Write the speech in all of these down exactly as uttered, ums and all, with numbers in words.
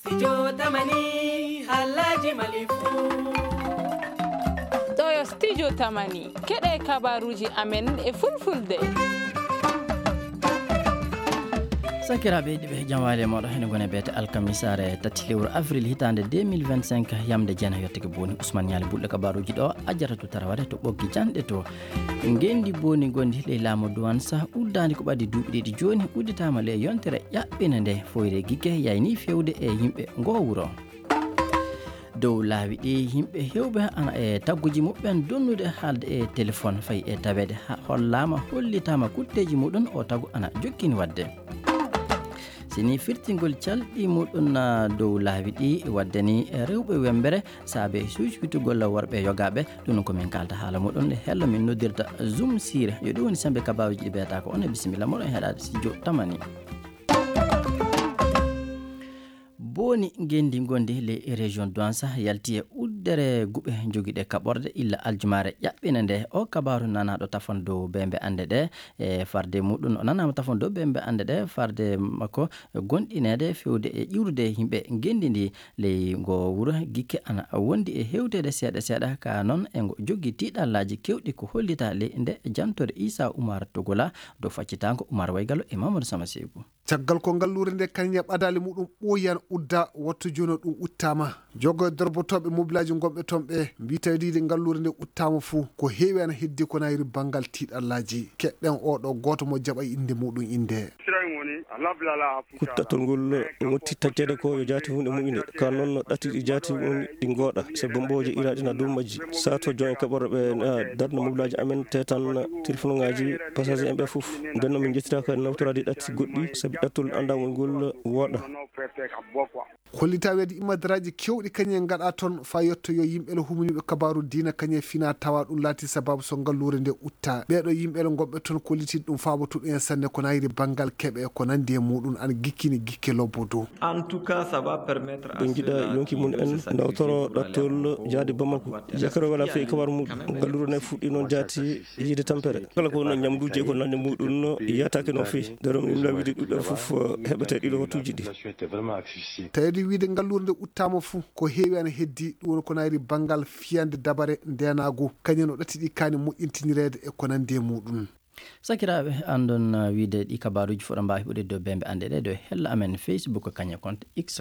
Studio Tamani, Alhaji Malifu. Ɗo yo Studio Tamani, keɗe kabaruji amen e fulfulde. Sakiraaɓe yiɗɓe, jam waali e mooɗon. Hene gone beete alkamisaare tati lewru avril hitaande deux mille vingt-cinq, yamde jeena yottake booni. Ousmane Ñaali Bulɗo kabaruji ɗo, Ajara to Taraware to Ɓoggi Janɗe to. Ngenndi booni ngondi ley laamu Duwansa uddaandi ko ɓaddi duuɓi ɗiɗi jooni, udditaama ley yontere ƴaɓɓina nde. Foyre Gigge yayni fewde e yimɓe ngo wuro. Dow laawi ɗi, yimɓe hewɓe ana e tagguji muɓɓen donnude haalde e telefon fayi e taweede ha hollaama, hollitaama kutteeji muɗum o tagu ana jokkini waɗde. Sini firtingol calɗi muɗum na dow laawi ɗi waɗde ni rewɓe wembere saabe suuswitugol worɓe yogaaɓe. Ɗum ko min kaalta haala muɗum nde hello min noddirta Zoom Sire. Yo ɗum woni sembe kabaaruji ɗi beeta ko on e bisimilla moɗon heɗaade Studio Tamani. Booni ngenndi ngondi ley région Douansa yalti e uddere guɓe jogiiɗe kaɓorde illa aljumaare ƴaɓɓina nde. O kabaaru nanaaɗo tafon dow bembe annde ɗe e farde muɗum, o nanaama tafon dow bembe annde ɗe farde makko gonɗineede fewde e ƴiwrude yimɓe ngenndi ndi. Ley ngo wuro Gikke ana wondi e hewteede seeɗa seeɗa ka noon e ngo jogii tiiɗallaaji kewɗi ko hollita ley nde jantore Isa Umar Togola dow faccitaango Umar Waygalo e Mamadou Sama Seeku. Caggal ko ngalluure nde kañum e ɓadaali muɗum ɓooyan udda, wattu jooni o ɗum uttaama. Jogo e dorbotooɓe mobilaaji ngonɓe toon ɓe mbii tawdiide ngalluure nde uttaama fuu, ko heewi ana heddi ko nayri banngal tiiɗallaaji. Keɗɗen oo ɗoo gooto mo jaɓa innde muɗum innde. Kuttattol ngol wonti taƴƴeede ko yo jaati huunde moƴƴunde. Ka noon no ɗatti ɗi jaati woni ɗi ngooɗa, sabu mbooje iraaɗi na dow majji. Sato jon e kaɓorɗe ɓe na darna mobilaaji amen, tetan telefonuŋaaji passager en ɓe fof. Nden noon min njettiraaka nawtoraade ɗatti goɗɗi, sabu ɗattol anndangol ngol wooɗa. Hollita weede immadaraaji kewɗi kañum en ngaɗa toon faa yetto yo yimɓe le humaniiɓe kabaaru diina kañum e fina tawa ɗum laati sababu so ngalluure nde utta. Ɓeeɗo yimɓe le ngonɓe toon kolliti ɗum faabotoo ɗum en sanne ko nayri banngal keɓe e ko nanndi e muɗum ana gikkini gikke lobbo dow. En tout cas, ça va permettre à Ɓe njiɗa ceux-là yonki qui mum en nécessitent nawtoro ɗattol jaade Bamako. Yakaro wala fey kabar muɗum. Ngalluure ne fuɗɗi noon jaati yiide tampere. Kala ko wonno ñamduuji e ko nanndi muɗum no yataake no feewi. Nder ɗum imla wiide ɗuɗɗo fof heɓete ɗiɗo wattuuji ɗi. Tawde wiide ngalluure nde uttaama fuu, ko heewi ana heddi, ɗum woni ko nayri banngal fiyande dabare ndeenaagu, kañum no ɗatti ɗi kaani moƴƴintinireede e ko nanndi e muɗum. Sakiraaɓe, anndon, uh, wiide ɗi kabaaruuji fof ɗo mbaawi huɓɓude dow bembe annde ɗe, dow hella amen Facebook, kañum e compte X.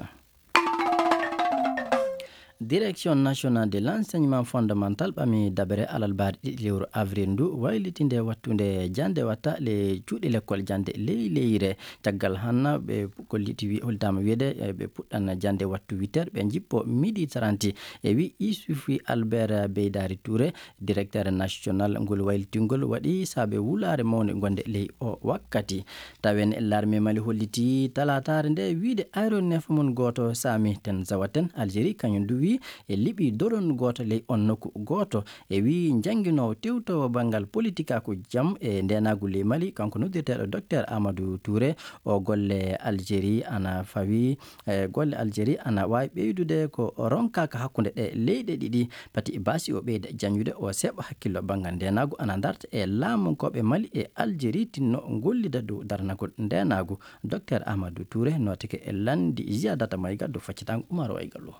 Direction nationale de l'enseignement fondamental ɓami dabere alarbaare ɗiɗi lewru avril ndu, waylitinde wattunde jannde watta le cuuɗi lekkol jannde ley leyre. Caggal hanna ɓe kolliti wi-, holtaama wiyeede, eh, ɓe puɗɗan jannde wattu huit heures, ɓe njippo midi trente. E wi Isufi Albert Beydari Touré, directeur national ngol waylitingol waɗi saabe wulaare mawnde gonde ley o wakkati. Tawen l'armée Mali holliti talaataare nde wiide aéronef mum gooto Sami Ten Zawaten Algérie, kañum duwi e liɓi doron gooto ley on nokku gooto. E wi jannginoowo tewtoowo banngal politikaaku jam e ndeenaagu ley Mali, kanko noddirteeɗo Docteur Amadou Touré, o golle Algérie ana fawi, e golle Algérie ana waawi ɓeydude ko ronkaaka hakkunde ɗe leyɗe ɗiɗi. Pati baasi o ɓeyda jañude o seɓa hakkillo banngal ndeenaagu ana darta e laamunkooɓe Mali e Algérie tinno gollida dow darnagol ndeenaagu. Docteur Amadou Touré nootike e lanndi Ziyadata Maïga dow faccitango Umaro Aygalo.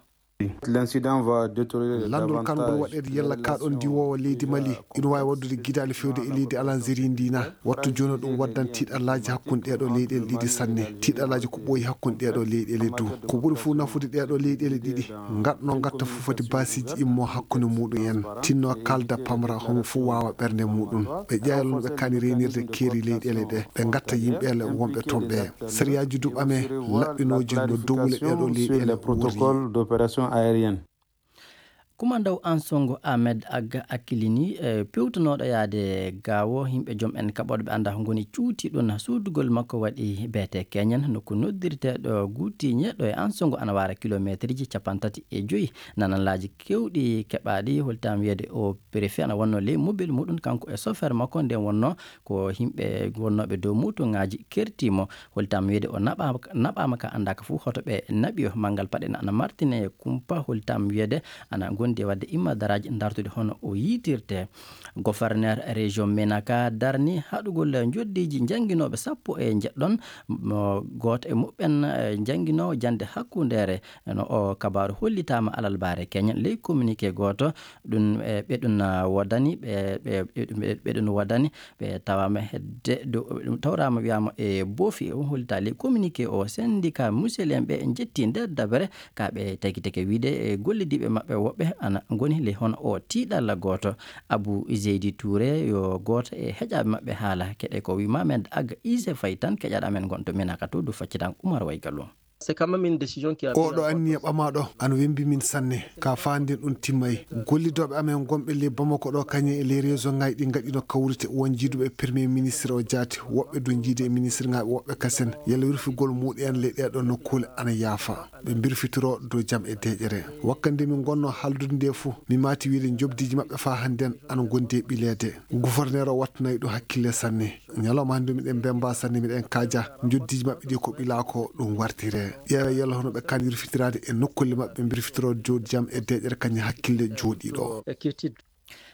L'incident va détériorer Lanndol kan ngol davantage waɗeede yalla kaaɗon diwoowo leydi Mali ina waawi waɗdude gidaali fewde e leydi Algérie ndi na. Wattu jooni ɗum waddan tiiɗallaaji hakkunde ɗeeɗo leyɗeele ɗiɗi sanne. Tiiɗallaaji ko ɓooyi hakkunde ɗeeɗo leyɗeele du. Ko ɓuri fof nafude ɗeeɗo leyɗeele ɗiɗi, ngatno ngatta fof foti baasiiji immo hakkunde muɗum en. Tinno kalda pamra homo fof waawa ɓernde muɗum. Ɓe ƴeewa no ɓe kaani reenirde keeri leyɗeele ɗe. Ɓe ngatta yimɓeele wonɓe toon ɓe. Sariyaaji du ɓame laɓɓinooji no dowle ɗeeɗo leyɗeele wuuri. Kumandaw Ansongo Ahmed Agga Akilini, e, pewtunooɗo yaade Gaawo, yimɓe joom en kaɓorɗe ɓe anndaa ko ngoni cuuti ɗum. Suudugol makko waɗi beete keñen, nokku noddirteeɗo Guutiñe ɗo e Ansongo ana waara kilomeeterji cappanɗe tati e joyi. Nananlaaji keewɗi keɓaaɗi, holtaama wiyeede o préfet ana wonnoo ley mobile muɗum, kanko e chauffeur makko, nden wonnoo ko yimɓe wonnooɓe dow motoŋaaji kertii mo. Holtaama wiyeede o naɓaama, naɓaama ka anndaaka fof hoto ɓe naɓi o. Manngal paɗe na ana martine e kumpa, holtaama wiyeede ana gondi Nde waɗde imma daraaji dartude hono o yiitirte. Gouverneur région Menaka darni haɗugol njoddiiji njannginooɓe sappo e njeɗɗon, mo gooto e muɓɓen, eh, njannginoowo jannde hakkundeere. No o kabaaru hollitaama alalbaare keñen ley communiqué gooto. Ɗum, eh, ɓe ɗum, ah, woodani, ɓe, ɓe, ɓe, ɓe ɗum woodani, ɓe tawaama hedde, do, ɗum tawraama wiyaama e boofi, o hollitaali communiqué o. Syndicat muselien ɓe njetti nder dabere, ka ɓe tagitake wiide e gollidiiɓe maɓɓe woɓɓe ana ngoni le hono o tiiɗalla gooto. Abu Zeydi Touré yo gooto e heƴaaɓe maɓɓe haala. Keɗe ko wi ma men aga ise fay tan keƴaɗa men gonto menaka to du faccitan Umar Waygalu. C'est quand même une décision qui a oɗo anniya ɓamaaɗo ana wembi min sanne. Ka faanden ɗum timmay. Gollidooɓe amen gonɓe ley Bamako ɗo kañum e ley région ŋaaji ɗi ngaɗino kawrite won jiiduɓe e premier ministre o jaati, woɓɓe dow jiidi e ministre ŋaaɓe, woɓɓe kasen yalla wirfugol muuɗi en ley ɗeɗo nokkuule ana yaafa. Ɓe mbirfitoro dow jam e deeƴere. Wakkande min ngonno haldude nde fuu, mi maati wiide njobdiiji maɓɓe faa hannden ana ngondi e ɓileede. Gouverneur o wattanay ɗum hakkille sanne. Ñalawma hannde miɗen mbemba sanne, miɗen kaaja njoddiiji maɓɓe ɗi ko ɓilaa ko ɗum wartire. Ƴeewa yalla hono ɓe kan yurfitiraade e nokkulle maɓɓe mbirfitoro dow jam e deeƴere kañum hakkille jooɗiiɗo.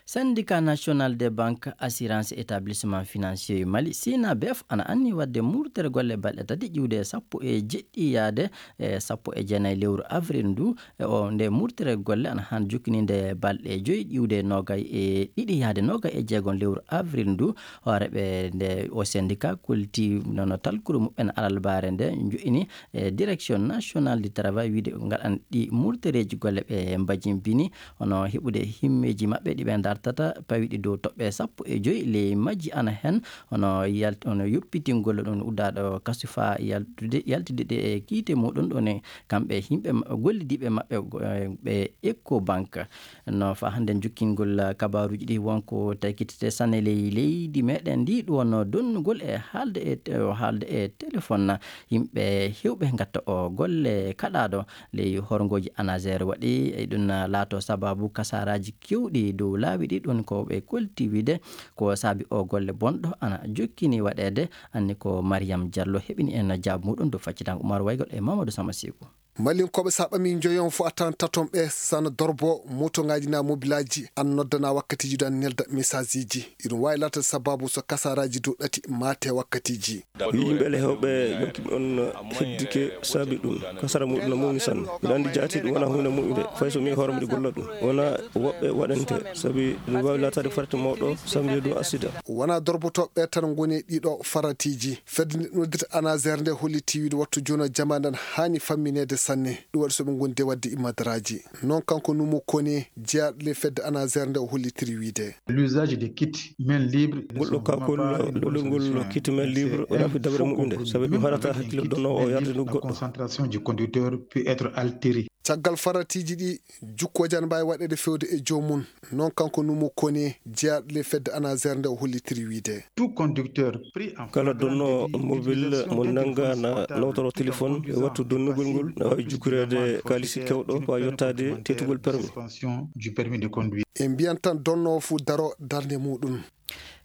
Syndicat national des banques, assurance, établissement financier Mali, sinabef, ana anni waɗde murtere golle balɗe tati ƴiwde sappo e jeɗɗi yaade e sappo e jeenayi lewru avril ndu. E o nde murtere golle ana han jokkininde balɗe joyi ƴiwde nogay e ɗiɗi yaade nogay e jeegon lewru avril ndu. Hooreɓe nde o syndicat kulti nono talkuru muɓɓen alalbaare nde jo'ini e direction nationale du travail wiide ngaɗan ɗi murtereeji golle ɓe mbajimbini, hono heɓude himmeeji maɓɓe ɗi ɓe dartata pawiɗi dow toɓɓe sappo e joyi ley majji ana hen, hono yalt-, hono yoppitingol ɗum uddaaɗo kasu faa yaltude, yaltude ɗe e kiite muɗum ɗon e kamɓe yimɓe ma-, gollidiiɓe maɓɓe go-, e ɓe Eco Bank. No faa hannden jokkingol kabaaruuji ɗi wonko taykitete sanne ley leydi meɗen ndi, ɗum wonno donnugol e haalde e te-, haalde e téléphone yimɓe heewɓe ngatta o golle kaɗaaɗo ley horngooji ANASER waɗi. E ɗum laato sabaabu kasaaraaji kewɗi dow laawi ɗi, ɗum ko ɓe kolti wiide ko saabi o golle bonɗo ana jokkini waɗeede. Anni ko Mariam Diallo heɓini en jaabu muɗum dow faccitango Umar Waygol e Mamadou Sama Seku. Malinkooɓe, so a ɓamii njoyon fof, a tawan taton ɓe sana dorbo motoŋaaji na mobilaaji, an noddana wakkatiiji ɗo, an nelda message iiji. Iɗum waawi laatade sabaabu so kasaaraaji dow ɗati maate wakkatiiji. Yimɓe le heewɓe yonki on heddike saabi ɗum. Kasara muɗum no mawni sanne. Mbiɗa anndi jaati ɗum wona huunde moƴƴunde. Fay so mi hoore mbiɗa golla ɗum. Wona woɓɓe waɗante. Sabi ɗum waawi laataade farata mawɗo, sabi ɗum asida. Wona dorbotooɓe tan ngoni e ɗiɗo faratiiji. Fedde nde noddita ANASER nde holliti wiide wattu jooni o jamaanu ndan haani fammineede sanne. Ɗum waɗi so ɓe ngondi e waɗde immadaraaji. Noon kanko Numo Kone, jeyaaɗo le fedde ANASER nde o hollitiri wiide. L'usage des kits main libre ne Ngol ɗo sont kakol vraiment pas une bonne lolol ngol solution, hein. Kit main libre C'est wona un fi dabere faux muɓɓunde. Compromis. Sabi ɗum Même haɗata avec un hakkille kit donno o main yarde libre, ndu la goɗɗo. Concentration du conducteur peut être altérée. Caggal faratiiji ɗi, jukkooji ana mbaawi waɗeede feewde e joomum. Noon kanko Numo Kone, jeyaaɗo le fedde ANASER nde o hollitiri wiide. Tout conducteur pris en Kala flagrant donno délit mobil utilisation mo nannga na détéléphoné nawtoro portable téléphone e wattu donnugol ngol, na waawi jukkireede kaalisi kewɗo, waawi yottaade teetugol permis. Suspension du permis de conduire. En mbiyan tan donno o fof daro darnde muɗum.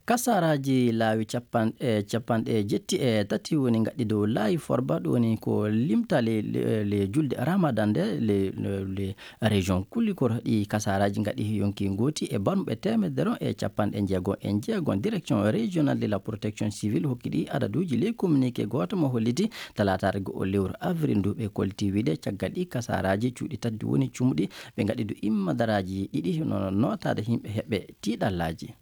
Kasaraaji laawi capan-, e capanɗe jetti e tati woni ngaɗɗi dow laayi Forba, ɗum woni ko limta le, le, le julde Ramadan nde le, le, le région Kulikoro. Ɗi kasaraaji ngaɗi yonki ngooti e barmuɓe teemedere e capanɗe jeego e jeego. Direction régionale de la protection civile hokki ɗi adaduuji ley communiqué gooto mo holliti talaataare go'o lewru avril ndu. Ɓe kolti wiide caggal ɗi kasaraaji cuuɗi tati woni cumuɗi, ɓe ngaɗi du immadaraaji ɗiɗi no nootaade yimɓe heɓɓe tiiɗallaaji.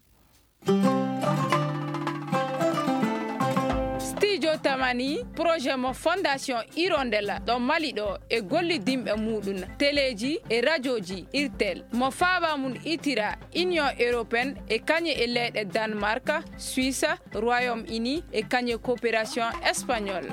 Studio Tamani, projet mo Fondation Hirondella ɗo Mali ɗo e gollidinɓe muɗum, teleeji e rajooji Irtel, mo faaba mum itira Union Européenne e kañe e leyɗe Danemark, Suisse, Royaume-Uni e kañe coopération espagnol.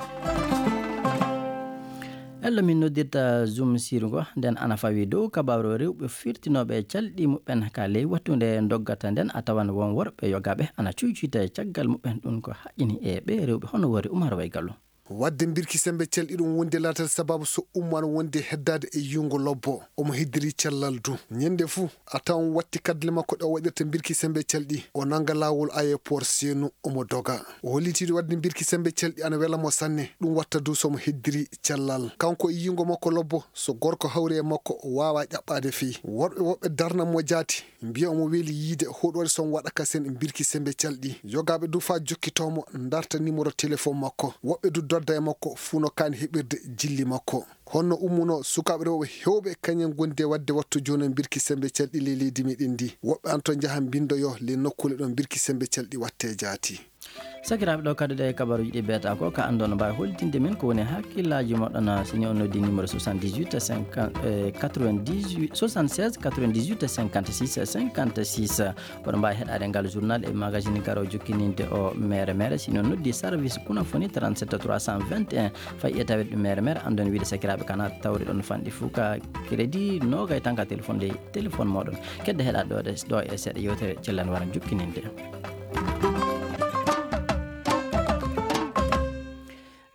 Ello min noddirta Zoom sirgo, nden ana fawi dow kabaaru rewɓe firtinooɓe calɗi muɓɓen ka ley wattunde doggata nden, a tawan won worɓe yogaaɓe ana cuycuyta e caggal muɓɓen. Ɗum ko haqqini e ɓe rewɓe hono wori Umar Waygalu. Waɗde mbirki semmbe calɗi ɗum wonde laatal sababu so ummaano wonde heddaade e yuungo lobbo, omo heddiri cellal du. Ñande fuu, a tawan watti kaddule makko ɗe o waɗirta mbirki semmbe calɗi, o nannga laawol aéroport Seenu, omo doga. O holliti waɗde mbirki semmbe calɗi ana wela mo sanne, ɗum watta du so mo heddiri cellal. Kanko e yiingo makko lobbo, so gorko hawri e makko, o waawaa ƴaɓɓaade fii. Worɓe woɓɓe darna mo jaati, mbiya omo weli yiide hoɗoore so mo waɗa kasen mbirki semmbe calɗi. Yogaaɓe du faa jokkitoo mo, ndarta numéro téléphone makko. Woɓɓe du dodda e makko fuu no kaani heɓirde jilli makko. Honno ummunoo sukaaɓe rewɓe heewɓe kañen ngondi e waɗde wattu jooni mbirki semmbe calɗi ley leydi meɗen ndi? Woɓɓe an to njaha mbinndoyoo ley nokkuule ɗo mbirki semmbe calɗi wattee jaati. Sakiraaɓe, ɗo kadi ɗe kabaruuji ɗi beeta ko ka anndon mbaawi hollitinde men ko woni hakkillaaji moɗon, si ni on noddi numéro soixante-dix-huit cinquante, eh, quatre-vingt-dix-huit, soixante-seize quatre-vingt-dix-huit cinquante-six cinquante-six. Oɗon mbaawi heɗaade ngal journal e magazine garo jokkininde o mere mere, si ni on noddi service Kunafoni trente-sept trois cent vingt et un. Fayi e taweede ɗum mere mere, anndon wiide sakiraaɓe kana tawri ɗon fanɗi fuu ka crédit noogay tan ka téléphone ley téléphone moɗon. Kedde heɗaade ɗo ɗe, ɗo e seeɗa yewtere cellal wara jokkininde.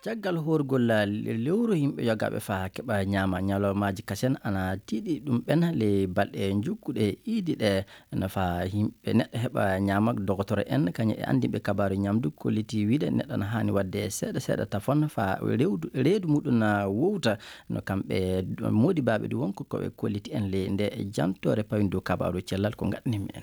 Caggal hoorgol lewru yimɓe yogaaɓe faa keɓa ñaama ñalawmaaji kasen ana tiiɗi ɗum ɓen ley balɗe jukkuɗe iidi ɗe, no faa yimɓe neɗɗo heɓa ñaama. Dogotoro en kañum e anndinɓe kabaaru ñamdu kolliti wiide neɗɗo ana haani waɗde seeɗa seeɗa tafon faa rewdu, reedu muɗum na wowta. No kamɓe moodibaaɓe ɗum wonko ko ɓe kolliti en ley nde jantoore pawi ndu kabaaru cellal ko ngaɗnimi en.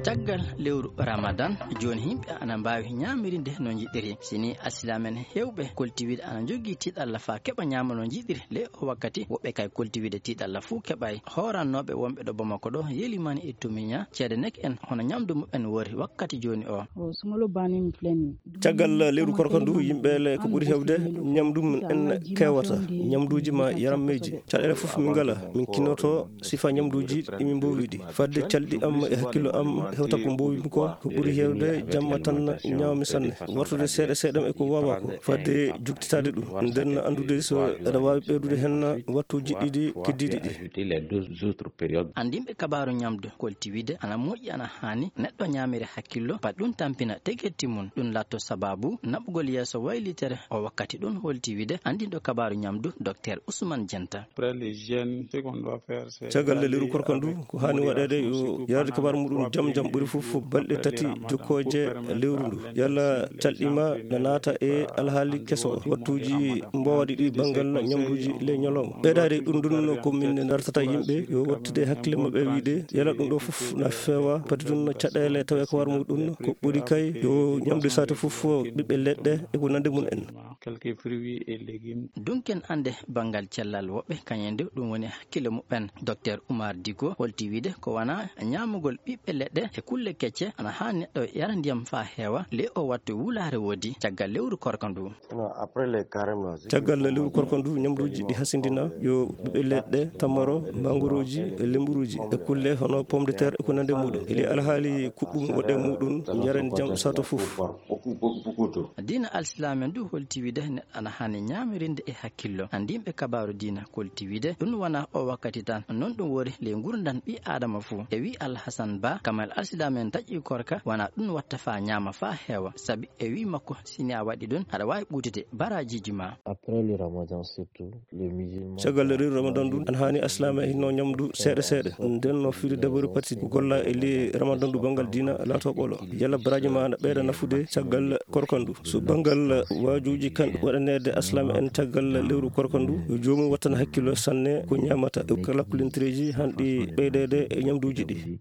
Caggal lewru Ramadan, jooni yimɓe ana mbaawi ñaamirinde no njiɗiri. Si ni alsilaam'en heewɓe kolti wiide ana njogii tiiɗalla faa keɓa ñaama no njiɗiri, le o wakkati woɓɓe kay kolti wiide tiiɗalla fuu keɓay. Hoorannooɓe wonɓe ɗo Bamako ɗo yelimani e Tomiña ceede nek en hono ñamdu muɓɓen wori wakkati jooni o. Caggal lewru korka ndu, yimɓe le ko ɓuri heewde ñamdu mum en kewata, ñamduuji ma yarammeeji. Caɗeele fof min ngala, min kinnoto sifa ñamduuji ɗi min mboowi ɗi. Fadde calɗi am e hakkillo am hewta ko mboowimi ko, ko ɓuri heewde jamma tan ñaawmi sanne. Wartude seeɗa seeɗa e ko waawaa ko, fadde juktitaade ɗum. Nden anndude so eɗa waawi ɓeydude hen wattuuji ɗiɗi keddiiɗi ɗi. Anndinɓe kabaaru ñamdu kolti wiide ana moƴƴi, ana haani neɗɗo ñaamira hakkillo, pat ɗum tampina tegetti mum, ɗum latto sababu naɓugol yeeso waylitere o wakkati ɗum, holti wiide anndinɗo kabaaru ñamdu Docteur Ousmane Dienta. Caggal lewru korka ndu, ko haani waɗeede yo yarde kabaaru muɗum jam jam ɓuri fof balɗe tati jokkooje lewru ndu. Yalla calɗi ma na naata e alhaali keso, wattuuji mboowaɗi ɗi banngal ñamduuji ley ñalawma. Ɓeydaade ɗum ɗum ko min dartata yimɓe yo wattude hakkille maɓɓe wiide yala ɗum ɗo fof na feewa, pati ɗum no caɗeele tawe ko war muɗum ko ɓuri kay yo ñamde saate fof ɓiɓɓe leɗɗe e ko nande mum en. Dunken annde banngal cellal woɓɓe kañum nde ɗum woni hakkille muɓɓen. Docteur Oumar Digo holti wiide ko wona ñaamugol ɓiɓɓe leɗɗe e kulle kecce ana haa neɗɗo yara ndiyam faa heewa, le o wattu wulaare woodi caggal lewru korka ndu. Caggal lewru korka ndu, ñamduuji ɗi hasindina yo ɓiɓɓe leɗɗe, tamaro, mangorooji, e lemburuuji, e kulle hono pomme de terre e ko nande muɗum. Eli alhaali kuɓɓum waɗe muɗum, njaren jam sato fof. Diina alsilaame ndu holti wiide neɗɗo ana haani ñaamirinde e hakkillo. Anndinɓe kabaaru diina kolti wiide ɗum wona o wakkati tan, non ɗum woni ley ngurndan ɓii aadama fuu. E wii Alhasan Ba, kamal alsilaame en taƴi korka, wona ɗum watta faa ñaama faa heewa, sabi e wii makko, si ni a waɗi ɗum, aɗa waawi ɓuutude baraajiiji ma. Après le ramadan surtout, les musulmans... Caggal lewru ramadan ɗum, ana haani alsilaame en hinno ñamdu seeɗa seeɗa. Nden no firi dabori pati ko golla e ley ramadan ɗum banngal diina laato ɓolo. Yalla baraaji ma ana ɓeyda nafude caggal korka ndu. So banngal waajuuji kan waɗaneede alsilaame en caggal lewru korka ndu, yo joomum wattan hakkillo sanne ko ñaamata e kala kulintireeji hanɗi ɓeydeede e ñamduuji ɗi.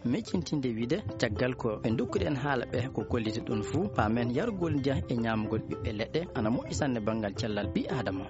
Miccintinde wiide, caggal ko ɓe ndokkuɗen haala ɓe ko kolliti ɗum fuu, paamen yarugol ndiyam e ñaamugol ɓiɓɓe leɗɗe ana moƴƴi sanne banngal cellal ɓii aadama.